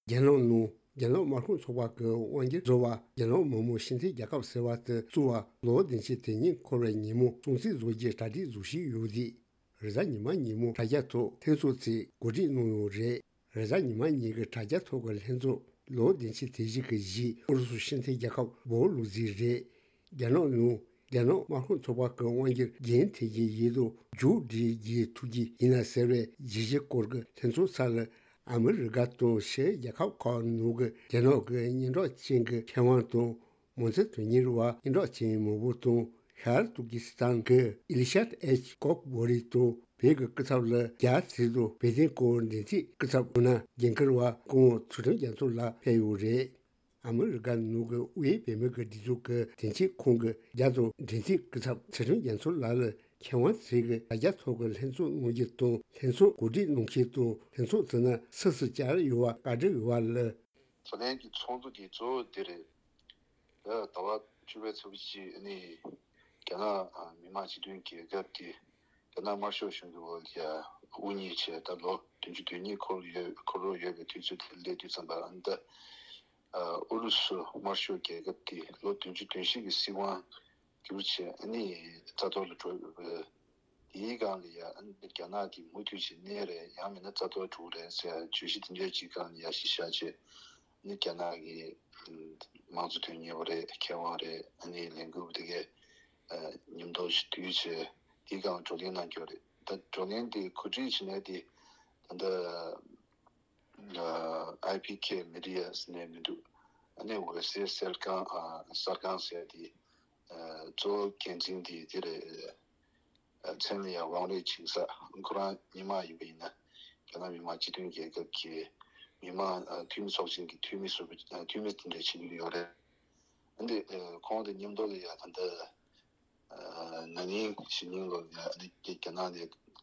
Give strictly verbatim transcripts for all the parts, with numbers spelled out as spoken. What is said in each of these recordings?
རྒྱ་ནག་ནང་རྒྱ་ནག་དམར་ཤོག་ཚོགས་པ་གི་དབང་སྒྱུར་བཟོ་བ་རྒྱ་ནག་མི་དམངས་སྤྱི་མཐུན་རྒྱལ་ཁབ་ཟེར་བ་དེ་བཙུགས་པ་ལོ་བདུན་ཅུ་དོན་གཉིས་འཁོར་བའི་ཉིན་མོ་སྲུང་བརྩི་བཟོ་རྒྱུའི་གྲ་སྒྲིག་བཟོ་བཞིན་ཡོད་དུས། རེས་གཟའ་ཉི་མ་ཉིན་མོ་དྲ་རྒྱ་ཐོག་ལྷན་ཚོགས་ཚོས་གོ་སྒྲིག་གནང་ཡོད་རེད། རེས་གཟའ་ཉི་མ་ཉིན་གྱི་དྲ་རྒྱ་ཐོག་གི་ལྷན་ཚོགས་ལོ་བདུན་ཅུ་དོན་བཞི་གི་གཞི་ཨུ་རུ་སུ་སྤྱི་མཐུན་རྒྱལ་ཁབ་སྦོ་ལུག་རྫི་རེད། རྒྱ་ནག་ནང་རྒྱ་ནག་དམར་ཤོག་ཚོགས་པ་གི་དབང་སྒྱུར་རྒྱུན་མཐུད་ཀྱི་ཡིན་དང་མཇུག་སྒྲིལ་རྒྱུའི་ཐུགས་རྗེ་ཡིན་ན་ཟེར་བའི་བརྗོད་གཞི་སྐོར་གྱི་ལྷན་ཚོགས་ཚར་ལ། ཨ་མི་རི་ཀ་དང་ཕྱིའི་རྒྱལ་ཁབ་ཁག་ནང་གི་རྒྱ་ནག་གི་སྙན་གྲགས་ཅན་གྱི་མཁས་དབང་དང་། མང་གཙོ་དོན་གཉེར་བ་སྙན་གྲགས་ཅན་མང་པོ་དང་། ཤར་ཏུར་ཀི་སི་ཐན་གྱི་ཨིལ་ཤཱད་ཨེཆ་ཀོག་བོ་རི་དང་བོད་ཀྱི་སྐུ་ཚབ་ལ་རྒྱ་ཚིག་དང་བོད་དོན་སྐོར་འགྲན་རྩོད་སྐུ་ཚབ་ཡང་ན་འགན་འཁུར་བ་སྐུ་ངོ་ཚུལ་ཁྲིམས་རྒྱ་མཚོ་ལགས་ཕེབས་ཡོད་རེད། ཨ་མི་རི་ཀ་ནང་གི་དབུས་བོད་མི་གི་སྒྲིག་འཛུགས་ཀྱི་དོན་གཅོད་ཁང་གི་རྒྱ་དང་འབྲེལ་མཐུད་སྐུ་ཚབ་ཚུལ་ཁྲིམས་རྒྱ་མཚོ་ལགས་ལ་མཁས་དབང་ཚོས་ཀྱི་དྲ་རྒྱ་ཐོག་གི་ལྷན་ཚོགས་གནང་རྒྱུ་དང་ལྷན་ཚོགས་གོ་སྒྲིག་གནང་མཁན་དང་ལྷན་ཚོགས་དེ་ན་སུ་སུ་བཅར་ཡོད་པ་བཀའ་འདྲི་ཡོད་པ་ལ། ད་ལན་གྱི་ཚོགས་འདུ་འདི་གཙོ་བོ་འདི་རེད། ད་ཟླ་བ་བཅུ་པའི་ཚེས་པ་གཅིག་ནི་རྒྱ་ནག་མི་དམངས་སྤྱི་མཐུན་རྒྱལ་ཁབ་ཀྱི་རྒྱ་ནག་དམར་ཤོག་གཞུང་གི་འོག་ལ་དབུ་བརྙེས་བྱས་ད་ལོ་བདུན་ཅུ་དོན་གཉིས་འཁོར་ཡོད་འཁོར་རོགས་ཡོད་པའི་དུས་ཚོད་དེ་སླེབས་དུས་ཙམ་པ་ཨ་ནི་ད་ཨུ་རུ་སུ་དམར་ཤོག་རྒྱལ་ཁབ་ཀྱི་ལོ་བདུན་ཅུ་དོན་བཞི་གི་སྲིད་དབང་བསྒྱུར་བྱས་ཨ་ནི་རྩ་གཏོར་ལ་འགྲོ་ཡོད་པའི། དེའི་སྒང་ལ་ཡ་ཨ་ནི་རྒྱ་ནག་གིས་མུ་མཐུད་བྱས་གནས་རེད་ཡང་མིན་ན་རྩ་གཏོར་འགྲོ་རེད་ཟེར་བརྗོད་གཞི་དེ་འདྲའི་ཅིག་སྒང་ལ་ཡ་གཞི་བཞག་བྱས་ནི་རྒྱ་ནག་གི་དམངས་གཙོ་དོན་གཉེར་བ་རེད་མཁས་དབང་རེད་ཨ་ནི་ལས་འགུལ་བ་དེ་གས་མཉམ་དུ་ཞིག་བསྡུས་བྱས་དེའི་སྒང་བགྲོ་གླེང་གནང་རྒྱུ་རེད། ད་བགྲོ་གླེང་དེ་གོ་སྒྲིག་བྱེད་མཁན་དེ་ད་ལྟ་ཨའི་པི་ཀེ་མི་ཌི་ཡ་ཟེར་ནས་མི་འདུག་ཨ་ནི་འོད་ཟེར་གསར་ཁང་གསར་ཁང་ཟེར་དེ། གཙོ་བོ་འགན་འཛིན་དེ་དེ་རེད། མཚན་ལ་ཡང་ཝང་རེ་ཆིང་ས་ཁོ་རང་མི་མང་ཡིན་པ་ཡིན་ན་རྒྱ་ནག་མི་དམངས་སྤྱི་མཐུན་རྒྱལ་ཁབ་ཀྱི་མི་དམངས་འཐུས་མི་ཚོགས་ཆེན་གྱི་འཐུས་མི་ཟུར་པ་འཐུས་མི་དེ་འདྲ་བྱེད་ཀྱི་ཡོད་རེད། འདི་ཁོང་དང་མཉམ་དུ་ལ་ཡང་ད་ལྟ་ན་ནིང་གཞེས་ནིང་ལོ་ལ་ཡང་རྒྱ་ནག་ནས་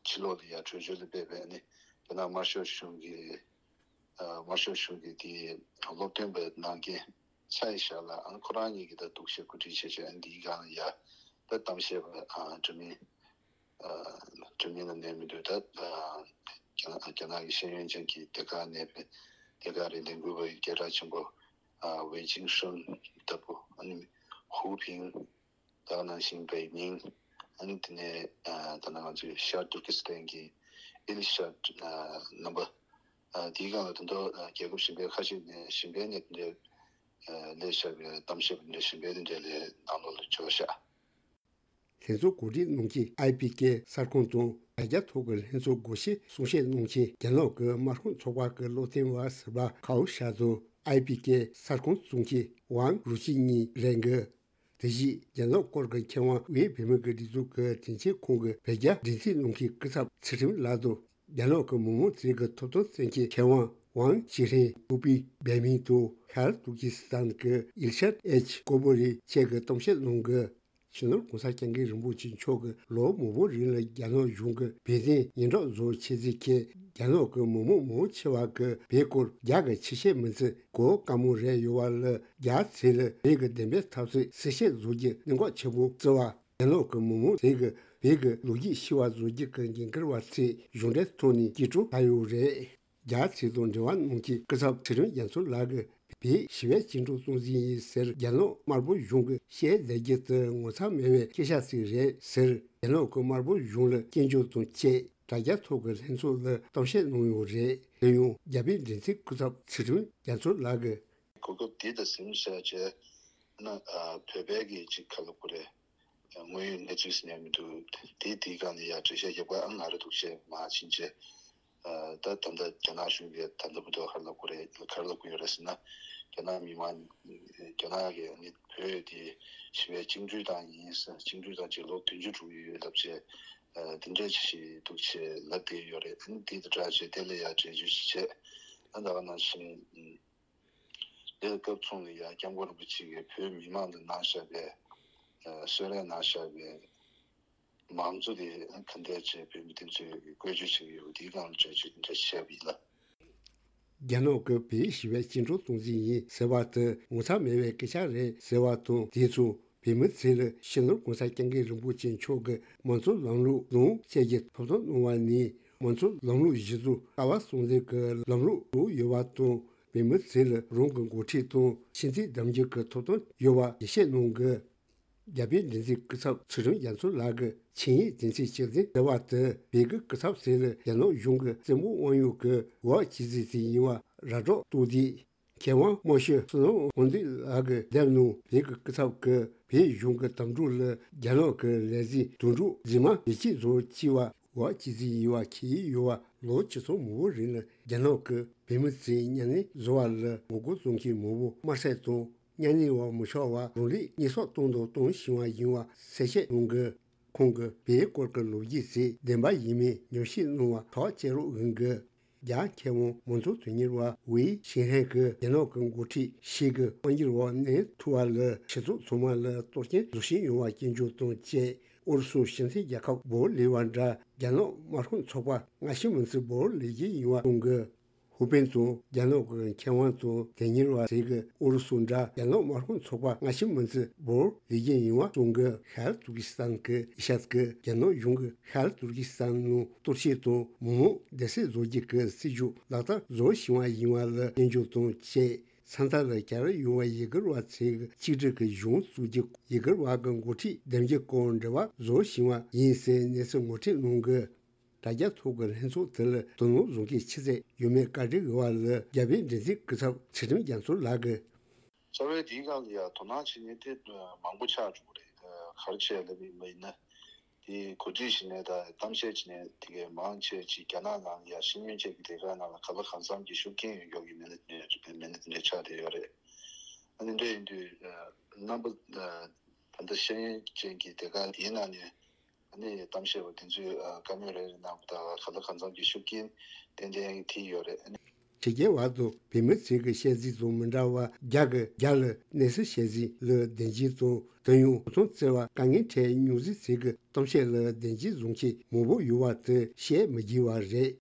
ཕྱི་ལོགས་ལ་ཡང་བྲོས་བྱོལ་ལ་ཕེབས་པའི་ནི་རྒྱ་ནག་དམར་ཤོག་གཞུང་གི་དམར་ཤོག་གཞུང་གི་དེའི་སློབ་སྟོན་པ་གནང་མཁན་ཚའེ་ཞའོ་ལགས་ཨ་ནི་ཁོ་རང་གཉིས་ཀྱིས་ད་འདུག་བཤད་གོ་སྒྲིག་བྱས་བྱས་ཨ་ནི་འདིའི་སྒང་ལ་ཡ་ད་གཏམ་བཤད་པ་འདྲ་མིན་འདྲ་མིན་ལ་གནས་མི་འདུག་ད་རྒྱ་ནག་རྒྱ་ནག་གི་ཤེས་ཡོན་ཅན་གྱི་སྡེ་ཁག་ནས་པའི་སྡེ་ཁག་རེད་ལས་འགུལ་བ་ཡི་སྐད་གྲགས་ཆེན་པོ་ཝེ་ཅིང་ཧྲུན་ལྟ་བུ་ཨ་ནི་ཧུའུ་ཕིང་། ད་ནང་བཞིན་པའི་མིང་ཨ་ནི་དེ་ནས་ད་ནང་ང་ཚོའི་ཤར་ཏུར་ཀི་སི་ཐན་གྱི་ཨིལ་ཤཱད་རྣམ་པ་དེའི་སྒང་ལ་ད་དུང་རྒྱལ་ཁབ་གཞན་པའི་ཁ་ཤས་ནས་གཞན་པའི་ནས་དེ་འདྲའི་ལས་བྱ་བའི་གཏམ་བཤད་པ་འདྲ་གཞན་པའི་དེ་འདྲའི་ལས་ནང་ལོགས་ལ་འབྱོར་ཤག་ལྷན་ཚོགས་གོ་སྒྲིག་གནང་མཁན་ཨའི་པི་ཀེ་གསར་ཁང་དང་དྲ་རྒྱ་ཐོག་གི་ལྷན་ཚོགས་སྒོ་ཕྱེ་གསུང་བཤད་གནང་མཁན་རྒྱ་ནག་གི་དམར་ཤོག་ཚོགས་པ་གི་བློ་བསྟན་པ་ཟུར་པ་ཁའོ་ཞའོ་དང་ཨའི་པི་ཀེ་གསར་ཁང་གཙོ་མཁན་ཝང་རུའུ་ཅི་གཉིས་རེད་འདུག་དེ་བཞིན་རྒྱ་ནག་སྐོར་གྱི་མཁས་དབང་དབུས་བོད་མི་གི་སྒྲིག་འཛུགས་ཀྱི་དོན་གཅོད་ཁང་གི་བོད་རྒྱ་འབྲེལ་མཐུད་གནང་མཁན་སྐུ་ཚབ་ཚུལ་ཁྲིམས་ལགས་དང་རྒྱ་ནག་གི་མི་མང་དེ་གི་ཐོབ་ཐང་བཙན་གྱི་མཁས་དབང་ཝང་ཅི་ཧྲེང་ཧུའུ་པི་བན་མིང་དང་ཤར་ཏུར་ཀི་སི་ཐན་གྱི་ཨིལ་ཤཱད་ཨེཆ་ཀོ་བོ་རི་བཅས་ཀྱི་གཏམ་བཤད་གནང་གི་སྤྱི་ནོར་གོང་ས་སྐྱབས་མགོན་རིན་པོ་ཆེ་མཆོག་གིས་ལོ་མང་པོའི་རིང་ལ་རྒྱ་ནག་གཞུང་གིས་བོད་དོན་སྙན་གྲགས་བཟོ་བྱེད་རྩིས་ཁེལ་རྒྱ་ནག་གི་མི་མང་མང་ཆེ་བ་གིས་བོད་སྐོར་རྒྱ་གི་ཆེ་བཤད་མི་བརྩི་གོ་དཀའ་མོ་རེད་ཡོད་པ་ལ་རྒྱ་ཚོས་ལ་བོད་ཀྱི་བདེན་པའི་འཐབ་རྩོད་གསལ་བཤད་བཟོ་རྒྱུ་གནད་འགག་ཆེན་པོ་བརྩི་བ། རྒྱ་ནག་གི་མི་མང་དེ་གིས་བོད་ཀྱི་ལོ་རྒྱུས་ཤེས་པ་བཟོ་རྒྱུ་གི་འགན་འཁུར་བ་ཚོས་གཞུང་འབྲེལ་ཐོག་ནས་སྐྱིད་སྤྲོ་ད་ཡོད་རེད། རྒྱ་ཚོས་དང་འབྲེལ་བ་གནང་མཁན་སྐུ་ཚབ་ཚེ་རིང་རྒྱ་མཚོ་ལགས་ཀྱིས་བོད་ཞི་བའི་བཅིངས་འགྲོལ་གཏོང་རྩིས་ཡིན་ཟེར་རྒྱ་ནག་དམར་པོ་གཞུང་གིས་བཤད་བསྡད་རྒྱུ་དེ་ངོ་ཚ་མེད་པའི་སྐད་ཆ་ཞིག་རེད་ཟེར་རྒྱ་ནག་གི་དམར་པོ་གཞུང་ལ་སྐྱོན་བརྗོད་དང་བཅས་དྲ་རྒྱ་ཐོག་གི་ལྷན་ཚོགས་ལ་གཏམ་བཤད་གནང་ཡོད་རེད། དེ་ཡང་རྒྱ་བོད་འབྲེལ་མཐུད་སྐུ་ཚབ་ཚེ་རིང་རྒྱ་མཚོ་ལགས་ཀྱིས། གོ་སྐབས་འདི་ད་ཟིན་བྱས་རྗེས་ན་བོད་པའི་གི་ཅིག་ག་ལ་གོ་རེད། དངོས་ཡོད་གནས་ཚུལ་ཟེར་ནས་མི་འདུག་དེ་དེའི་སྒང་ནས་ཡར་འགྲེལ་བཤད་རྒྱབ་ཀ་ཨང་ང་རེ་འདུག་བྱས་མ་ཕྱིན་བྱས། ད་ད་ལྟ་རྒྱ་ནག་གཞུང་གིས་ད་ལྟ་བུ་དུ་ག་ལ་གོ་རེད་ག་ལ་གོ་ཡོད་རེད་ཟེར་ན། རྒྱ་ནག་མི་མང་རྒྱ་ནག་གི་ནི་བོད་དེ་ཞི་བའི་བཅིངས་འགྲོལ་བཏང་ཡིན་ཟེར་བཅིངས་འགྲོལ་བཏང་རྗེས་ལོ་བདུན་ཅུ་འགྲོ་གི་ཡོད་ལབ་བྱས། དེ་འདྲས་ཅིག་འདུག་བྱས་ལབ་བསྡད་ཡོད་རེད། ཨ་ནི་དེ་དང་སྦྲགས་བྱས་དེ་ལ་ཡར་འགྲེལ་བརྗོད་ཅིག་བྱས། ཨ་ད་ག་ནང་བཞིན། དེར་སྐབས་མཚུངས་ལ་ཡང་སྐྱབས་མགོན་རིན་པོ་ཆེ་གིས་བོད་མི་མང་ལ་གནང་བཞག་པའི་གསོལ་རས་གནང་བཞག་པའི་མང་གཙོ་དེ་ག་འདྲས་བྱས་བོད་མི་དེ་ཚོས་བཀོལ་སྤྱོད་བྱེད་ཀྱི་ཡོད་པ་དེའི་སྒང་ལ་འགྲེལ་བརྗོད་དེ་འདྲ་བྱས་པ་ཡིན་ལ། རྒྱ་ནག་གིས་བོད་ཞི་བའི་བཅིངས་འགྲོལ་གཏོང་རྩིས་ཡིན་ཟེར་བ་དེ་ངོ་ཚ་མེད་པའི་སྐད་ཆ་རེད་ཟེར་བ་དང་དེ་ཚོ་བོད་མི་ཚོ་ལ་སྤྱི་ནོར་༸གོང་ས་༸སྐྱབས་མགོན་རིན་པོ་ཆེ་མཆོག་གིས་དམངས་གཙོ་ལམ་ལུགས་ལུང་བཅས་ཀྱི་ཐོབ་ཐང་གནང་བ་ནི་དམངས་གཙོ་ལམ་ལུགས་གཞི་བཟུང་ལྟ་བ་གསུམ་ལྡན་གྱི་ལམ་ལུགས་ལུགས་ཡོད་པ་དང་། བོད་མི་ཚོས་ལ་རང་གི་འགོ་ཁྲིད་དང་ཤེས་ཚད་གདམ་རྒྱུ་གི་ཐོབ་ཐང་ཡོད་པ་ཡིད་ཆེས་གནང་གི། རྒྱ་བལ་འབྲེལ་མཐུད་སྐུ་ཚབ་ཚུལ་ཁྲིམས་རྒྱ་མཚོ་ལགས་ཀྱི་ཆིངས་ཡིག་དོན་ཚན་བཅུ་བདུན་ཟེར་བ་དེ་བོད་ཀྱི་སྐུ་ཚབ་ཟེར་ལ་རྒྱ་ནག་གཞུང་གི་རྩེད་མོ་དབང་ཡོད་ཀྱི་འོག་བྱས་ཚུལ་དེ་ཡིན་པ་ར་སྤྲོད་གཏོང་དུས། མཁས་དབང་རྨོ་ཤོད་བསོད་ནམས་དབང་འདུས་ལགས་ཀྱིས་བསྡད་ནང་བོད་ཀྱི་སྐུ་ཚབ་ཀྱིས་བོད་གཞུང་གི་དམ་ཕྲུག་ལ་རྒྱ་ནག་གི་ལས་འཛིན་དོན་གྲུབ་རྗེས་མ་བེད་སྤྱད་བཟོ་བཅུག་པ་འོག་བྱས་ཚུལ་ཡིན་པ་ཁྱབ་ཡོད་པ། ལོ་བཅུ་ཚོད་མང་པོ་རིང་ལ་རྒྱ་ནག་གི་བོད་མི་ཚོས་གཉའ་གནོན་བཟོ་བ་ལ་ངོ་རྒོལ་བྱེད་མཁན་མང་པོ་དམར་གསོད་དང་གཉའ་གནོན་པ་མི་ཆོག་པ་རང་ལུས་གཉིས་གསོག་གཏོང་དང་གཏོང་བཞིན་པ་ཡིན་པ་གསལ་བཤད་གནང་གི། ཁོང་གིས་བོད་སྐོར་གྱི་ལོ་རྒྱུས་ཚོ་བདེན་པ་ཡིན་མིན་ཉམས་ཞིབ་གནང་བར་ཐག་བཅད་རོགས་གནང་གི། རྒྱ་མཁས་དབང་མང་གཙོ་དོན་གཉེར་བ་ཝེ་ཤིན་ཧྲན་གྱིས་རྒྱ་ནག་གི་འགོ་ཁྲིད་ཞིག་གིས་དབང་སྒྱུར་འོག་གནས་ཐུབ་པ་ལ་སྤྱི་ཚོགས་ཚང་མ་ལ་གཏོར་སྐྱོན་བཟོ་བཞིན་ཡོད་པ་སྐྱོན་བརྗོད་དང་བཅས། ཨུ་རུ་སུ་སྤྱི་མཐུན་རྒྱལ་ཁབ་སྦོ་ལེ་བ་འདྲ་རྒྱ་ནག་དམར་ཤོག་ཚོགས་པ་སྔ་ཕྱི་མི་འཛིན་སྦོ་ལེ་རྒྱུ་ཡིན་པ་གསུང་གི། ཧུའུ་པེན་དང་རྒྱ་ནག་གི་མཁས་དབང་དང་དོན་གཉེར་བ་ཟེར་གི། ཨུ་རུ་སུ་འདྲ་རྒྱ་ནག་དམར་ཤོག་ཚོགས་པ་སྔ་ཕྱི་མི་འཛིན་སྦོ་ལེ་རྒྱུ་ཡིན་པ་གསུང་གི། ཤར་ཏུར་ཀི་སི་ཐན་གྱི་ཡིག་ཆ་གིས་རྒྱ་ནག་གཞུང་གིས་ཤར་ཏུར་ཀི་སི་ཐན་ནང་གཏོར་བཤིག་དང་མི་མང་བསྡད་ས་བཟོ་རྒྱུ་གི་སྲིད་ཇུས་ལག་བསྟར་བཟོ་བཞིན་པ་ཡིན་པ་ལ་སྐྱོན་བརྗོད་དང་བཅས། ས་མཐའ་ལ་གྱར་ཡོང་བའི་ཡུ་གུར་བ་ཚོའི་གཅིག་སྒྲིལ་གྱི་གཞུང་བཙུགས་རྒྱུ། ཡུ་གུར་བ་གི་འགོ་ཁྲིད་འདེམས་རྒྱུ་སྐོར་འབྲེལ་བ་བཟོ་བཞིན་པ་ཡིན་ཟེར་གནས་ཚུལ་ངོ་སྤྲོད་གནང་གི། དྲ་རྒྱ་ཐོག་གི་ལྷན་ཚོགས་དེ་ལ་དོ་སྣང་བཟོ་མཁན་ཆུ་ཚད་ཡོད་མེད་བཀའ་འདྲི་འོག་ལ་རྒྱ་བལ་འབྲེལ་མཐུད་སྐུ་ཚབ་ཚུལ་ཁྲིམས་རྒྱ་མཚོ་ལགས་ཀྱིས། རྩ་བའི་དེའི་སྒང་ལ་ཡང་དོ་སྣང་བྱེད་མཁན་དེ་མང་པོ་ཆགས་བཅུག་པ་རེད། ག་རེ་བྱས་ལབ་པ་ཡིན་ན། དེ་གོ་སྒྲིག་བྱས་ནས་དང་གཏམ་བཤད་བྱས་ནས་དེ་གའི་མང་ཆེ་ཅིག་རྒྱ་ནག་ནང་ལ་ཡང་ཤེས་ཡོན་ཅན་གྱི་སྡེ་ཁག་ནང་ལ་ག་ལ་གང་འཚམ་གྱི་ཤུགས་རྐྱེན་ཡོད་ཡོད་ཀྱི་མི་སྣ་དེ་འདྲ་མི་སྣ་དེ་འདྲ་ཆགས་བསྡད་ཡོད་རེད། ཨ་ནི་འདྲ་ཡིན་དུས་རྣམ་པ་ད་ལྟ་ཤེས་ཡོན་ཅན་གྱི་སྡེ་ཁག་དེའི་ནང་ནས་ཨ་ནི་གཏམ་བཤད་པ་དེ་ཚོས་བཀའ་མོལ་རེ་རེ་གནང་བ་དང་ག་ལ་གང་འཚམ་གྱི་ཤུགས་རྐྱེན་ཏན་ཏན་ཐེབས་ཡོད་རེད། ཨ་ནི། ཕྱི་རྒྱལ་བ་དང་བོད་མི་ཚོའི་བཤད་ཚུལ་དང་མི་འདྲ་བར་རྒྱ་གི་རྒྱ་ལ་གནས་ཚུལ་བཤད་ཚུལ་ལ་བདེན་འཛིན་དང་དོན་ཡོང་ཐོང་བརྩེ་བ་དཀའ་ངལ་འཕྲད་མྱོང་ཚུལ་ཚོའི་གཏམ་བཤད་ལ་བདེན་འཛིན་བཟུང་མཁན་མང་པོ་ཡོད་པ་དེ་བཤད་མི་དགོས་པ་རེད།